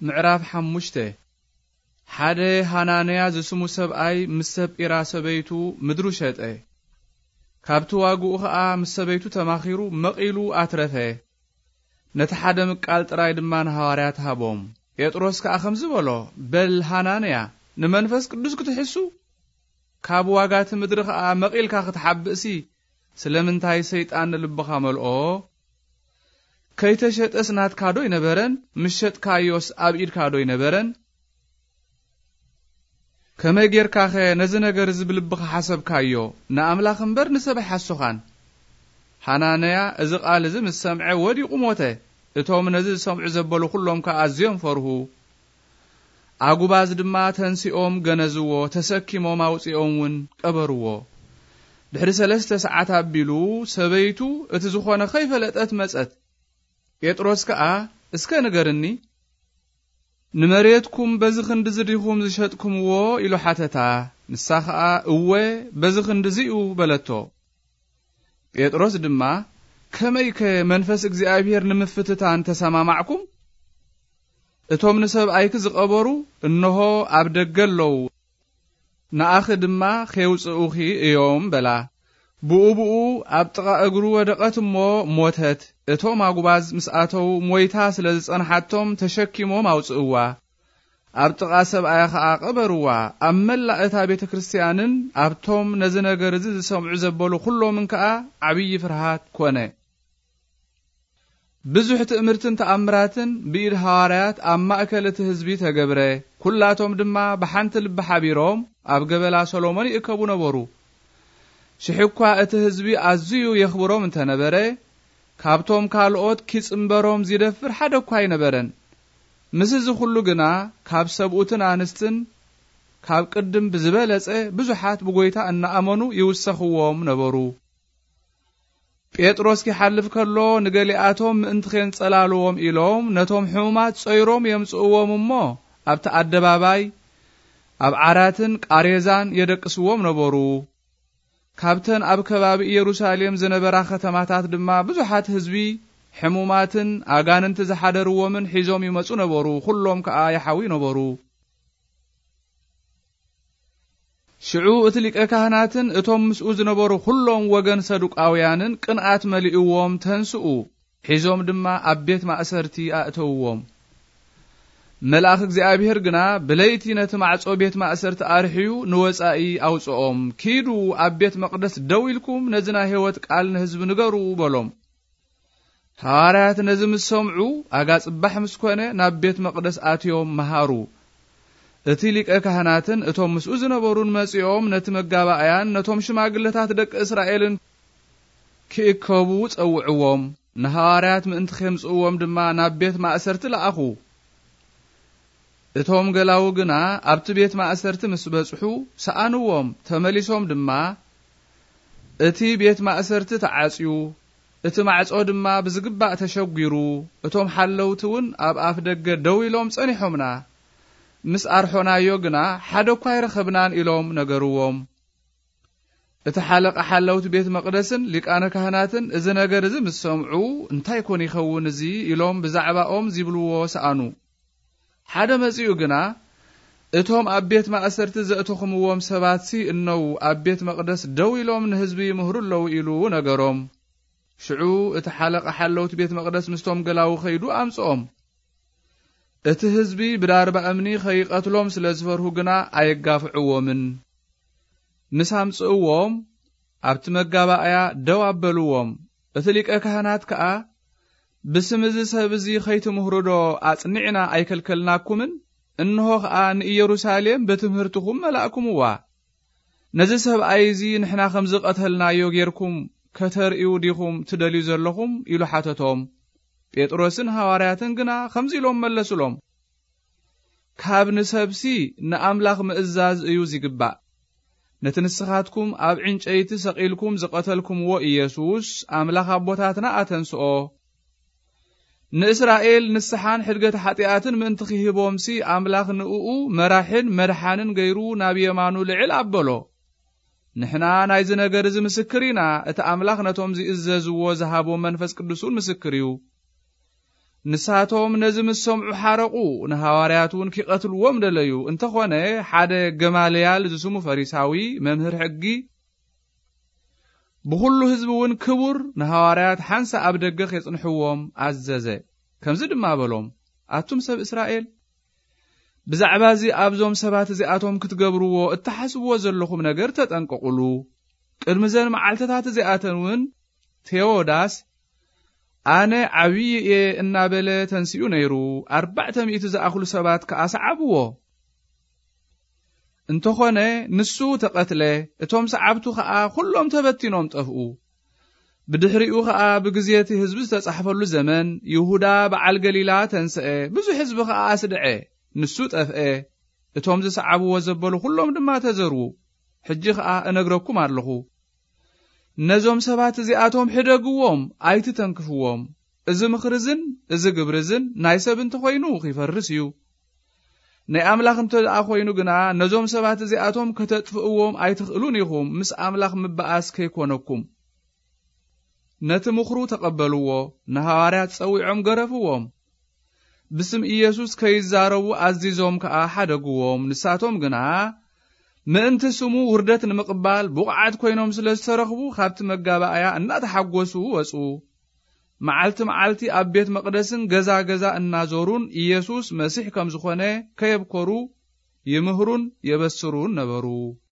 ምዕራፍ ሓሙሽተ። ሓደ ሃናንያ ዝስሙ ሰብኣይ ምስ ሰጲራ ሰበይቱ ምድሩ ሸጠ። ካብቲ ዋግኡ ኸኣ ምስ ሰበይቱ ተማኺሩ መቒሉ ኣትረፈ። ነቲ ሓደ ምቃል ጥራይ ድማ ንሃዋርያት ሃቦም። ጴጥሮስ ከኣ ከምዚ በሎ፣ በል ሃናንያ፣ ንመንፈስ ቅዱስ ክትሕሱ? ካብ ዋጋ እቲ ምድሪ ኸኣ መቒልካ ክትሓብእሲ፣ ስለምንታይ ሰይጣን ንልብኻ መልኦ? ከይተሸጠስ ናትካ ዶ ኣይነበረን? ምስ ሸጥካዮስ ኣብ ኢድካ ዶ ኣይነበረን? ከመይ ጌርካኸ ነዚ ነገር እዚ ብልብኻ ሓሰብካዮ? ንኣምላኽ እምበር ንሰብ ኣይሓሶኻን። ሃናንያ እዚ ቃል እዚ ምስ ሰምዐ ወዲቑ ሞተ። እቶም ነዚ ዝሰምዑ ዘበሉ ኵሎም ከኣ ኣዝዮም ፈርሁ። ኣጉባዝ ድማ ተንሲኦም ገነዝዎ፣ ተሰኪሞም ኣውጺኦም እውን ቀበርዎ። ድሕሪ ሰለስተ ሰዓት ኣቢሉ ሰበይቱ እቲ ዝኾነ ከይፈለጠት መጸት። ጴጥሮስ ከኣ፣ እስከ ንገርኒ፣ ንመሬትኩም በዚ ክንድዚ ዲኹም ዝሸጥኩምዎ? ኢሉ ሓተታ። ንሳ ኸኣ፣ እወ፣ በዚ ክንድዚ እዩ በለቶ። ጴጥሮስ ድማ፣ ከመይከ መንፈስ እግዚኣብሔር ንምፍትታን ተሰማማዕኩም? እቶም ንሰብኣይኪ ዝቐበሩ እንሆ ኣብ ደገ ኣለዉ፣ ንኣኺ ድማ ኼውጽኡኺ እዮም በላ። ብኡ ብኡ ኣብ ጥቓ እግሩ ወደቐት እሞ ሞተት። እቶም ኣጉባዝ ምስ ኣተዉ ሞይታ ስለ ዝጸንሓቶም ተሸኪሞም ኣውጽእዋ። ኣብ ጥቓ ሰብኣያ ኸኣ ቀበርዋ። ኣብ መላእ እታ ቤተ ክርስትያንን ኣብቶም ነዚ ነገር እዚ ዝሰምዑ ዘበሉ ኵሎምን ከኣ ዓብዪ ፍርሃት ኰነ። ብዙሕ ትእምርትን ተኣምራትን ብኢድ ሃዋርያት ኣብ ማእከል እቲ ህዝቢ ተገብረ። ኵላቶም ድማ ብሓንቲ ልቢ ሓቢሮም ኣብ ገበላ ሰሎሞን ይእከቡ ነበሩ። ሽሕ እኳ እቲ ህዝቢ ኣዝዩ የኽብሮም እንተ ነበረ፣ ካብቶም ካልኦት ኪጽንበሮም ዚደፍር ሓደ እኳ ኣይነበረን። ምስዚ ኹሉ ግና፣ ካብ ሰብኡትን ኣንስትን ካብ ቅድም ብዝበለጸ ብዙሓት ብጐይታ እናኣመኑ ይውሰኽዎም ነበሩ። ጴጥሮስ ኪሓልፍ ከሎ፣ ንገሊኣቶም ምእንቲ ኼንጸላልዎም ኢሎም ነቶም ሕሙማት ጾይሮም የምጽእዎም እሞ፣ ኣብቲ ኣደባባይ ኣብ ዓራትን ቃሬዛን የደቅስዎም ነበሩ። ካብተን ኣብ ከባቢ ኢየሩሳሌም ዝነበራ ከተማታት ድማ ብዙሓት ህዝቢ፣ ሕሙማትን ኣጋንንቲ ዝሓደርዎምን ሒዞም ይመጹ ነበሩ። ኵሎም ከኣ ይሓውዩ ነበሩ። ሽዑ እቲ ሊቀ ካህናትን እቶም ምስኡ ዝነበሩ ኵሎም ወገን ሰዱቃውያንን ቅንኣት መሊእዎም ተንስኡ፣ ሒዞም ድማ ኣብ ቤት ማእሰርቲ ኣእተውዎም። መልኣኽ እግዚኣብሔር ግና ብለይቲ ነቲ ማዕጾ ቤት ማእሰርቲ ኣርሕዩ ንወጻኢ ኣውጽኦም። ኪዱ ኣብ ቤት መቕደስ ደው ኢልኩም ነዚ ናይ ህይወት ቃል ንህዝቢ ንገሩ በሎም። ሃዋርያት ነዚ ምስ ሰምዑ፣ ኣጋ ጽባሕ ምስ ኮነ ናብ ቤት መቕደስ ኣትዮም መሃሩ። እቲ ሊቀ ካህናትን እቶም ምስኡ ዝነበሩን መጺኦም ነቲ መጋባእያን ነቶም ሽማግለታት ደቂ እስራኤልን ክእከቡ ጸውዕዎም። ንሃዋርያት ምእንቲ ኼምጽእዎም ድማ ናብ ቤት ማእሰርቲ ለኣኹ። እቶም ገላዉ ግና ኣብቲ ቤት ማእሰርቲ ምስ በጽሑ ሰኣንዎም። ተመሊሶም ድማ፣ እቲ ቤት ማእሰርቲ ተዓጽዩ፣ እቲ ማዕጾ ድማ ብዝግባእ ተሸጒሩ፣ እቶም ሓለውቲ እውን ኣብ ኣፍ ደገ ደው ኢሎም ጸኒሖምና። ምስ ኣርሖናዮ ግና ሓደ እኳ ኣይረኸብናን ኢሎም ነገርዎም። እቲ ሓለቓ ሓለውቲ ቤት መቕደስን ሊቃነ ካህናትን እዚ ነገር እዚ ምስ ሰምዑ፣ እንታይ ኮን ይኸውን እዚ? ኢሎም ብዛዕባኦም ዚብልዎ ሰኣኑ። ሓደ መጺኡ ግና፣ እቶም ኣብ ቤት ማእሰርቲ ዘእተኹምዎም ሰባትሲ እነዉ ኣብ ቤት መቕደስ ደው ኢሎም ንህዝቢ ይምህሩ ኣለዉ ኢሉ ነገሮም። ሽዑ እቲ ሓለቓ ሓለውቲ ቤት መቕደስ ምስቶም ገላዉ ኸይዱ ኣምጽኦም። እቲ ህዝቢ ብዳርባ እምኒ ኸይቐትሎም ስለ ዝፈርሁ ግና ኣየጋፍዕዎምን። ምስ ኣምጽእዎም ኣብቲ መጋባእያ ደው ኣበልዎም። እቲ ሊቀ ካህናት ከኣ፣ ብስም እዚ ሰብ እዚ ኸይትምህሩ ዶ ኣጽኒዕና ኣይከልከልናኩምን? እንሆ ኸኣ ንኢየሩሳሌም ብትምህርትኹም መላእኩምዋ። ነዚ ሰብኣይ እዚ ንሕና ከም ዝቐተልናዮ ጌርኩም ከተርእዩ ዲኹም ትደልዩ ዘለኹም? ኢሉ ሓተቶም። ጴጥሮስን ሃዋርያትን ግና ከምዚ ኢሎም መለሱሎም፣ ካብ ንሰብሲ ንኣምላኽ ምእዛዝ እዩ ዚግባእ። ነቲ ንስኻትኩም ኣብ ዕንጨይቲ ሰቒልኩም ዝቐተልኩምዎ ኢየሱስ፣ ኣምላኽ ኣቦታትና ኣተንስኦ። ንእስራኤል ንስሓን ሕድገት ሓጢኣትን ምእንቲ ኺህቦምሲ፣ ኣምላኽ ንእኡ መራሕን መድሓንን ገይሩ ናብ የማኑ ልዕል ኣበሎ። ንሕና ናይዚ ነገር እዚ ምስክር ኢና፣ እቲ ኣምላኽ ነቶም ዚእዘዝዎ ዝሃቦም መንፈስ ቅዱስ እውን ምስክር እዩ። ንሳቶም ነዚ ምስ ሰምዑ ሓረቑ፣ ንሃዋርያት እውን ኪቐትልዎም ደለዩ። እንተኾነ፣ ሓደ ገማልያል ዝስሙ ፈሪሳዊ መምህር ሕጊ፣ ብኹሉ ህዝቢ እውን ክቡር፣ ንሃዋርያት ሓንሳእ ኣብ ደገ ኬጽንሕዎም ኣዘዘ። ከምዚ ድማ በሎም፣ ኣቱም ሰብ እስራኤል፣ ብዛዕባ እዚ ኣብዞም ሰባት እዚኣቶም ክትገብርዎ እትሓስብዎ ዘለኹም ነገር ተጠንቀቑሉ። ቅድሚ ዘን መዓልትታት እዚኣተን እውን ቴዎዳስ ኣነ ዓብዪ እየ እናበለ ተንሲኡ ነይሩ። ኣርባዕተ ሚእቲ ዝኣኽሉ ሰባት ከኣ ሰዓብዎ። እንተኾነ ንሱ ተቐትለ፣ እቶም ሰዓብቱ ኸኣ ኩሎም ተበቲኖም ጠፍኡ። ብድሕሪኡ ኸኣ ብግዜ እቲ ህዝቢ ዝተጻሕፈሉ ዘመን ይሁዳ በዓል ገሊላ ተንስአ፣ ብዙሕ ህዝቢ ኸኣ ኣስድዐ። ንሱ ጠፍአ፣ እቶም ዝሰዓብዎ ዘበሉ ኩሎም ድማ ተዘርዉ። ሕጂ ኸኣ እነግረኩም ኣለኹ፣ ነዞም ሰባት እዚኣቶም ሕደግዎም፣ ኣይትተንክፍዎም። እዚ ምኽሪ እዝን እዚ ግብሪ እዝን ናይ ሰብ እንተኾይኑ ኺፈርስ እዩ። ናይ ኣምላኽ እንተ ደኣ ኾይኑ ግና፣ ነዞም ሰባት እዚኣቶም ከተጥፍእዎም ኣይትኽእሉን ኢኹም፣ ምስ ኣምላኽ ምበኣስ ከይኮነኩም። ነቲ ምኽሩ ተቐበልዎ፣ ንሃዋርያት ጸዊዖም ገረፍዎም። ብስም ኢየሱስ ከይዛረቡ ኣዚዞም ከኣ ሓደግዎም። ንሳቶም ግና ምእንቲ ስሙ ውርደት ንምቕባል ብቑዓት ኮይኖም ስለ ዝተረኽቡ፣ ካብቲ መጋባእያ እናተሓጎሱ ወጹ። መዓልቲ መዓልቲ ኣብ ቤት መቕደስን ገዛ ገዛ እናዞሩን ኢየሱስ መሲሕ ከም ዝኾነ ከየብኮሩ ይምህሩን የበስሩን ነበሩ።